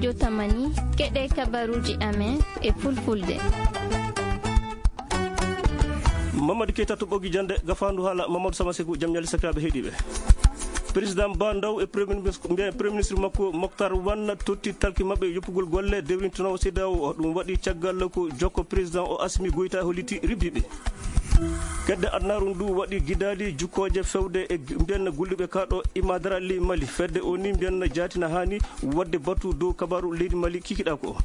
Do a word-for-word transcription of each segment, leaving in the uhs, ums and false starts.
Yo tamani, keɗe kabaruuji amen e fulfulde. Mamadou Keita to ɓoggi jannde, gafaandu haala Mamadou Sama Sekou, jam ñalle sakiraaɓe heɗiiɓe. Président Ba Ndaw e Premier Ministre, mbiyen Premier Ministre makko Moctar Wan totti talki maɓɓe yoppugol golle dewrintinoowo C E D E A O. Ɗum waɗi caggal ko jokko président o Assimi Goïta holliti ribbiɓe. Kedde adnaaru ndu waɗi gidaali jukkooje fewde e g-, mbiyen gulluɓe kaaɗo Imadara ley Mali. Fedde o ni mbiyen jaatina haani waɗde batu dow kabaaru leydi Mali kikiɗa ko.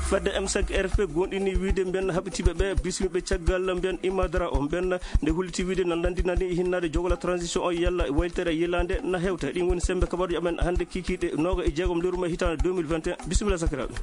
Fedde M cinq R F P gonɗini wiide mbiyen haɓitiiɓe ɓe bismiɓe caggal mbiyen Imadara o. Mbiyen nde holliti wiide na nandi nani hinnaade jogola transition o yalla waylitere yilaande na hewta. Ɗin woni sembe kabaaruji amen hannde kikiɗe nooga e jeegom lewru mai hitaande deux mille vingt et un. Bisimilla sakiraaɓe.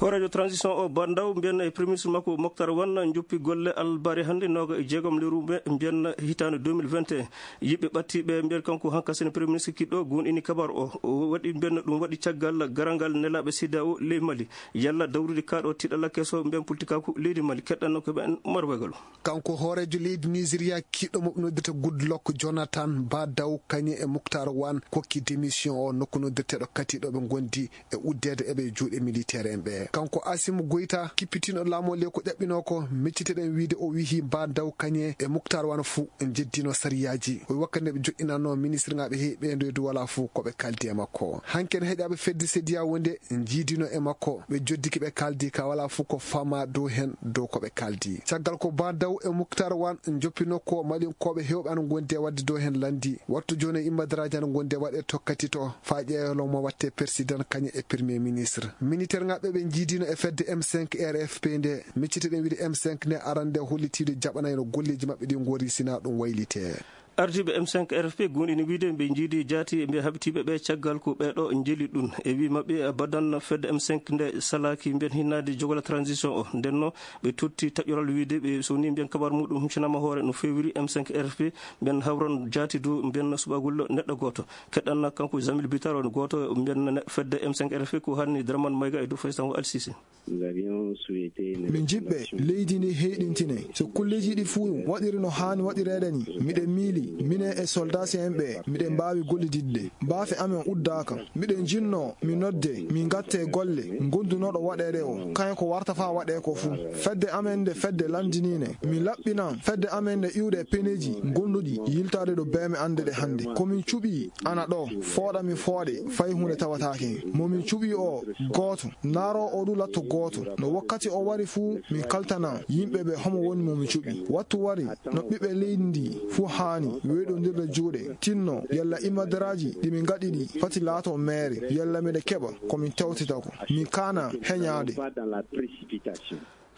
Hooreejo transition o Ba Ndaw mbiyen e Premier Ministre makko Moctar Wan joppi golle albare hannde nooga e jeegom lewru mai mbiyen hitaande deux mille vingt et un. Yiɓɓe ɓattiiɓe mbiyen kanko hanka sene Premier Ministre kiɗɗo gonɗini kabaaru o. O waɗi mbiyen ɗum waɗi caggal garangal nelaaɓe C E D E A O ley Mali. Yalla dawrude kaaɗo tiɗalla keso mbiyen politikaaku leydi Mali. Keɗɗanno ko ɓen Umar Wegalo. Kanko hooreejo leydi Nigeria kiɗɗo mo ɓe noddirta Goodluck Jonathan Ba Ndaw kañum e Moctar Wan kokki démission o nokku noddirteɗo Kati ɗo ɓe gondi e uddeede e ɓe juuɗe militaire en ɓe. Kanko Assimi Goïta kippitino laamu o ley ko ƴaɓɓino ko, micciteɗen wiide o wihi Ba Ndaw kañum e Moctar Wan fuu en jeddino sariyaaji. O wi wakkati nde ɓe joɗɗinanno ministre ŋaaɓe heewi ɓeydoyde wala fuu ko ɓe kaldi e makko. Hanki en heɗiiɓe fedde C E D E A O wonde jiidino e makko. Ɓe joddiki ɓe kaldi ka wala fuu ko fama dow hen dow ko ɓe kaldi. Caggal ko Ba Ndaw e Moctar Wan joppino ko Malinkooɓe heewɓe ana gondi e waɗde dow hen landi. Wattu jooni e immadaraaji ana gondi e waɗe tokkati to faa ƴeewa mo watte président kañum e premier ministre. Militaire ŋaaɓe ɓe jiidino e fedde M cinq R F P nde. Micciteɗen wiide M cinq nde arande hollitiiɗo jaɓanayno golleeji maɓɓe ɗi ngori sina ɗum waylite. Ardiiɓe M cinq R F P gonɗini wiide ɓe jiidi jaati ɓe haɓitiiɓe ɓe caggal ko ɓeeɗo njeli ɗum. E wii maɓɓe badan fedde M cinq nde salaaki mbiyen hinnaade jogola transition o. Ndenno ɓe totti taƴoral wiide ɓe so ni mbiyen kabar muɗum huccanaama hoore no feewiri M cinq R F P mbiyen hawran jaati dow mbiyen suɓagol neɗɗo gooto. Keɗɗanna kanko Jamil Bitar on gooto mbiyen ne-, fedde M cinq R F P ko hanni Dramane Mayga e dow Faysal Al Sisi. Min jiɓɓe leydi ndi heyɗintine. So kulleeji ɗi fuu waɗiri no haani waɗireede ni, miɗen miili, minen e soldaasi'en ɓe, miɗen mbaawi gollididde. Baafe amen uddaaka. Miɗen jinnoo, mi nodde, min ngatte golle, ngondunooɗo waɗeede o, kañum ko warta faa waɗee ko fuu. Fedde amen nde fedde lanndiniine, min laɓɓinan fedde amen nde iwde e peneeji gonduɗi yiltaade ɗo beeme annde ɗe hannde. Ko min cuɓii ana ɗo, fooɗa mi fooɗe, fay huunde tawataake. Mo min cuɓii o, gooto. Naaroo o du latto gooto. No wakkati o wari fuu, min kaltana yimɓe ɓe homo woni mo mi cuɓi. Wattu wari, no ɓiɓɓe leydi ndi fuu haani weeɗondirde juuɗe, tinno yalla imadaraaji ɗi min ngaɗi ɗi fati laato meere, yalla miɗa keɓa ko min tawtita ko. Min kaana heñaade.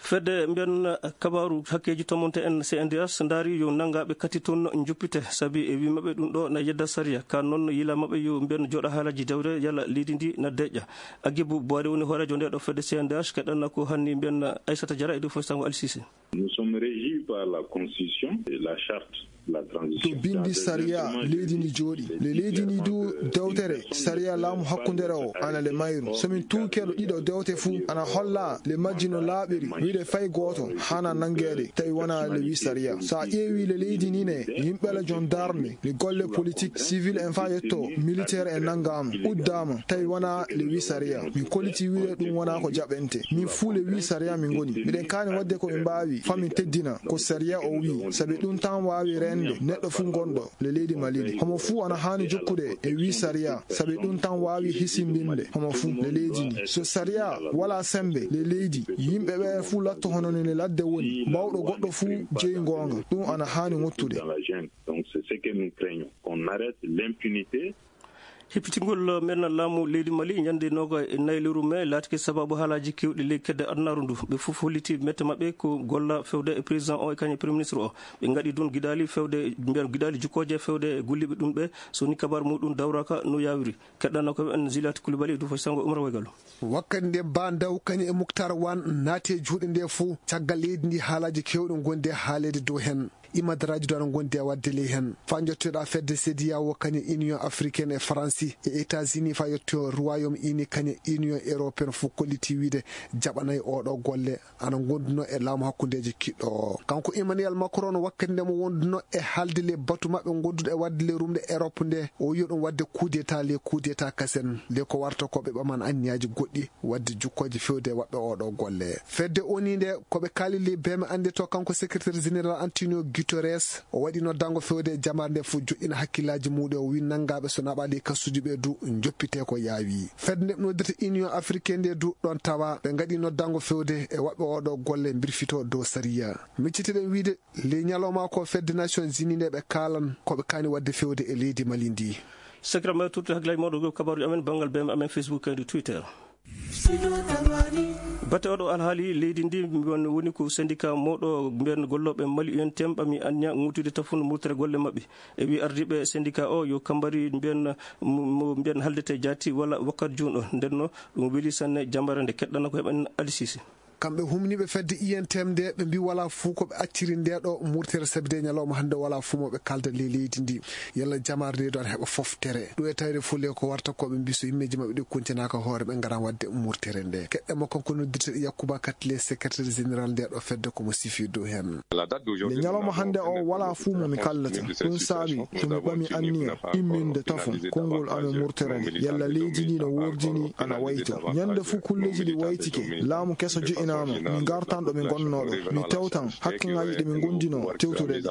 Fedde mbiyen kabaaru hakkeeji tomonte en C N D H ndaari yo nanngaaɓe kati toon njuppite, sabi e wii maɓɓe ɗum ɗo na yedda sariya. Ka noon yila maɓɓe yo mbiyen jooɗa haalaji dewre yalla leydi ndi na deƴƴa. Agibu Boire woni hooreejo nde ɗo fedde C N D H, keɗanna ko hanni mbiyen Aissata Diarra e dow fof sango Al Sisi. Nous sommes régis par la constitution et la charte. To binndi sariya leydi ndi jooɗi. Le leydi ndi du dewtere sariya laamu hakkundere o ana le mayru. So min tuuke ɗo ɗiɗo dewte fuu ana holla le majji no laaɓiri. Wiide fay gooto hana nanngeede tawi wona le wi sariya. So a ƴeewi le leydi ndi ne, yimɓe la gendarme, le golle politique, civil en faa yetto militaire en nanngaama, uddaama, tawi wona le wi sariya. Min koliti wiide ɗum wona ko jaɓente. Min fuu le wi sariya min ngoni. Miɗen kaani waɗde ko min mbaawi faa min teddina ko sariya o wii, sabi ɗum tan waawi reende neɗɗo fuu ngonɗo le leydi Mali ndi. Homo fuu ana haani jokkude e wii sariya, sabi ɗum tan waawi hisindinde homo fuu le leydi ndi. So sariya walaa semmbe le leydi, yimɓe ɓe fuu latto hono no le ladde woni, baawɗo goɗɗo fuu jeyi ngoonga. Ɗum ana haani ŋottude. Donc, c'est ce que nous craignons, qu'on arrête l'impunité. Hippitingol men laamu leydi Mali ñande nooga e nayi lewru mee laatike sabaabu haalaaji keewɗi ley kedde adunaaru ndu. Ɓe fof holliti mette maɓɓe ko golla fewde e président o e kañum e premier ministre o. Ɓe ngaɗi ɗum giɗaali fewde, mbiyen giɗaali jukkooje fewde e golliiɓe ɗum ɓe, so ni kabaar muɗum dawraaka no yaawiri. Keɗɗanno ko en Zilaat Koulibaly e Duufa Sango Umar Waygallo. Wakkati nde Ba Ndaw kañum e Muktar Wan naati e juuɗe nde fof, caggal leydi ndi haalaaji keewɗi ngonde haaleede dow hen. Imadaraaji ɗo ana ngondi e waɗde ley heen. Faa njottoɗaa fedde C E D E A O kañe Union Africaine e Faransi e États-Unis faa yetto Royaume Uni kañe Union Européenne fof kolliti wiide jaɓanay oɗo golle ana ngonduno e laamu hakkundeeji kiɗɗo o. Kanko Emmanuel Macron no wakkati nde mo wonduno e haalde le batu maɓɓe ngonduɗo e waɗde le rumde Europe nde o wiyo ɗum waɗde coup d'état le coup d'état kasen le ko warta ko ɓe ɓaman anniyaaji goɗɗi waɗde jukkooje fewde e waɗɓe oɗo golle. Fedde O N U nde ko ɓe kaalili bee mi annde to kanko secrétaire général Antonio Guterres o waɗi noddango fewde e jamaare nde fof joɗɗina hakkillaaji muɗum o wi nanngaaɓe so naɓaali e kasuuji ɓe du njoppite ko yaawi. Fedde nde ɓe noddirta Union Africaine nde du ɗon tawa ɓe ngaɗi noddango fewde e waɗɓe oɗo golle mbirfito dow sariya. Miccitiɗen wiide ley ñalawma ko fedde Nations Unies nde ɓe kaalan ko ɓe kaani waɗde fewde e leydi Mali ndi. Sakira ma turte hakkillaaji mawɗo ko kabaaruji amen banngal B M amen Facebook kadi Twitter. Batte oɗo alhaali leydi ndi won woni ko syndicat mawɗo mbiyen gollooɓe Mali U N T M ɓami anniya ŋuutude tafun murtere golle maɓɓe. E wi ardiiɓe syndicat o yo kambari mbiyen mo mbiyen haldete jaati walla wakkati juun o ndenno ɗum weli sanne jambare nde keɗɗana ko heɓen alisisi. Kamɓe humniiɓe fedde U N T M nde ɓe mbi wala fuu ko ɓe acciri nde ɗo murtere sabi de ñalawma hannde wala fuu mo ɓe kalda ley leydi ndi. Yalla jamaare nde ɗo ana heɓa foftere ɗo e tawde fuu le ko warta ko ɓe mbi so yimmeeji maɓɓe ɗi kuntinaaka hoore ɓe ngaran waɗde murtere nde keɗɗe mo kanko noddirteɗo Yakuba Katle secrétaire général nde ɗo fedde komo sifi dow heen. Nde ñalawma hannde o wala fuu mo mi kaldata ɗum saabi to mi ɓami anniya imminde tafo konngol amen murtere nde yalla leydi ndi no wordini ana wayto ñande fuu kulleeji ɗi waytike laamu keso jo'inaama mi ngartan ɗo mi ngonnoo ɗo mi tewtan hakkeŋaaji ɗi mi ngonndinoo tewtude ɗi.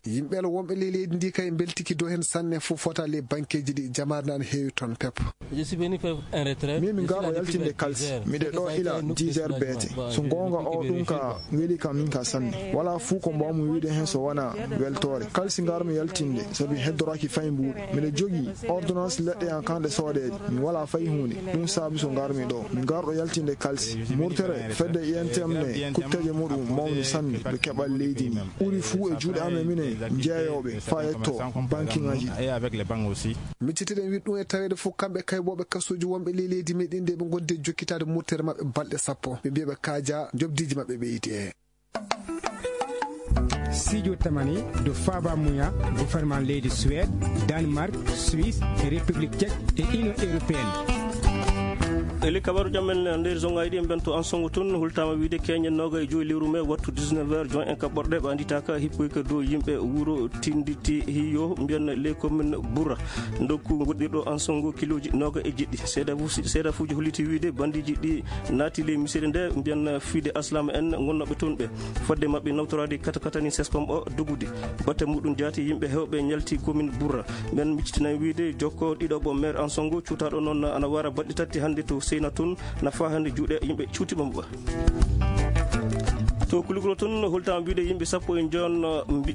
Yimɓe wonɓe ley leydi ndi kay mbeltiki dow heen sanne fof fota ley bankeeji ɗi jamaare nde ana heewi toon pep. Min mi ngarɗo yaltinde kalsi miɗe ɗo ila dix heures beete so goonga o ɗum ka weli kam min ka sanne wala fuu ko mbawmi wiide heen so wona weltoore kalsi ngarmi yaltinde sabi heddoraaki fay mbuuɗu miɗo jogii ordonnance leɗɗe an kanɗe soodeede mi wala fay huunde ɗum saabi so ngarmi ɗo mi ngarɗo yaltinde kalsi murtere fedde I N T M ne kutteeje muɗum mawni sanne ɓe keɓal leydi ndi ɓuri fuu e juuɗe amen minen jeeyooɓe faa yetto bankiŋaaji ɗi. Miccitiɗen wiɗ ɗum e taweede fof kamɓe kaybooɓe kasuuji wonɓe ley leydi meɗen nde ɓe ngondi e jokkitaade murtere maɓɓe balɗe sappo ɓe mbiya ɓe kaaja njoɓdiiji maɓɓe ɓeyde. Sijo tamani do faba muya gouvernement leydi Suède, Danemark, Suisse, République Tchèque et Union Européenne. Eli kabaru jam men nder zongaji ɗi ben to ansongo tun hultama wiide keñe noga e joyi lewru mai wattu dix-neuf heures jon en kaɓɓorɗe ɓe anditaka hippoyka dow yimɓe wuro tinditi hiyo mbiyan les communes bourra ndokku goɗɗirɗo ansongo kiloji noga e jeɗɗi seedafuuji holliti wiide bandiji ɗi naati ley misiri nde mbiyan fiide aslama en gonnoɓe toon ɓe fodde maɓɓe nawtorade katakatani sescom o dogude batte muɗum jaati yimɓe hewɓe ñalti commune bourra men miccitinay wiide jokko ɗiɗo ɓo maire ansongo cuutaɗo noon ana wara baɗɗi tatti hannde to seyna toon na fa hannde juuɗe yimɓe cuuti ɓamɓa to kulukuro toon holtama mbiɗe yimɓe sappo e joon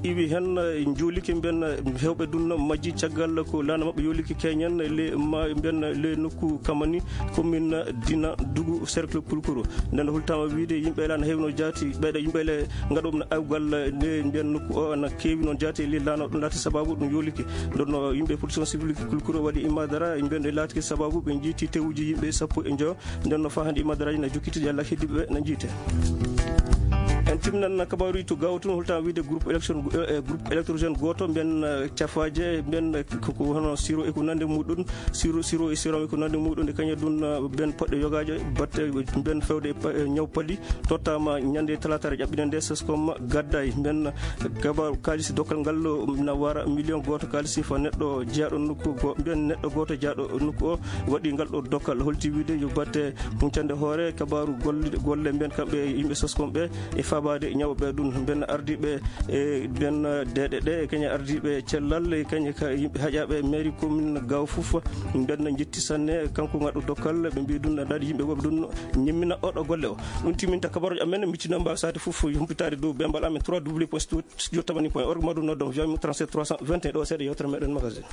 iwi heen juulike mbiyen hewɓe dunno majji caggal ko laana maɓɓe yoliki keñen le ma mbiyen le nokku kamani commune dina dugu cercle kulukuro nden holtama wiide yimɓe laana hewno jaati ɓeyɗo yimɓe le gaɗoɓe awgal nde mbiyen nokku o ana keewi noon jaati e lillano ɗum laati sababu ɗum yolike ndonno yimɓe protection civil kulkuro waɗi imadara mbiyen ɗe laatiki sababu ɓe jiiti tewuji yimɓe sappo e joyo nden no fa hannde imadaraji na jokkiti yalla heddiɓe ɓe na jiite en timnan kabaruji to gawa tun holtama wiide groupe élection groupe électrogène goto mbiyen cafaje mbiyen koko hono siro e ko nande muɗum siro siro e siro e ko nande muɗum nde kañum ɗum ben poɗɗe yogajo batte ben fewde ñaw paɗi tottama ñande talatare ƴaɓɓine nde sescom gadday ben kabaru kalisi dokkal ngal na wara million goto kalisi fa neɗɗo jeyaɗo nokku go ben neɗɗo goto jeyaɗo nokku o waɗi ngal ɗo dokkal holti wiide yo batte huncande hoore kabaru golle golle ben kamɓe yimɓe sescom ɓe e fabade ñawɓe ɗum ben ardiɓe e ben deeɗe ɗe e kañe ardiɓe cellal e kañe ka yimɓe haƴaɓe mairie commune gaw fof ben jetti sanne kanko gaɗo dokkal ɓe mbi ɗum daɗi yimɓe woɓe ɗum ñimmina oɗo golle o ɗum timinta kabaruji amen miccino mbawi sade fof humpitade dow bembal amen trois w point studio tamani point org maɗum noddon viami trente-sept trois cent vingt et un ɗo seeɗa yewtere meɗen magazine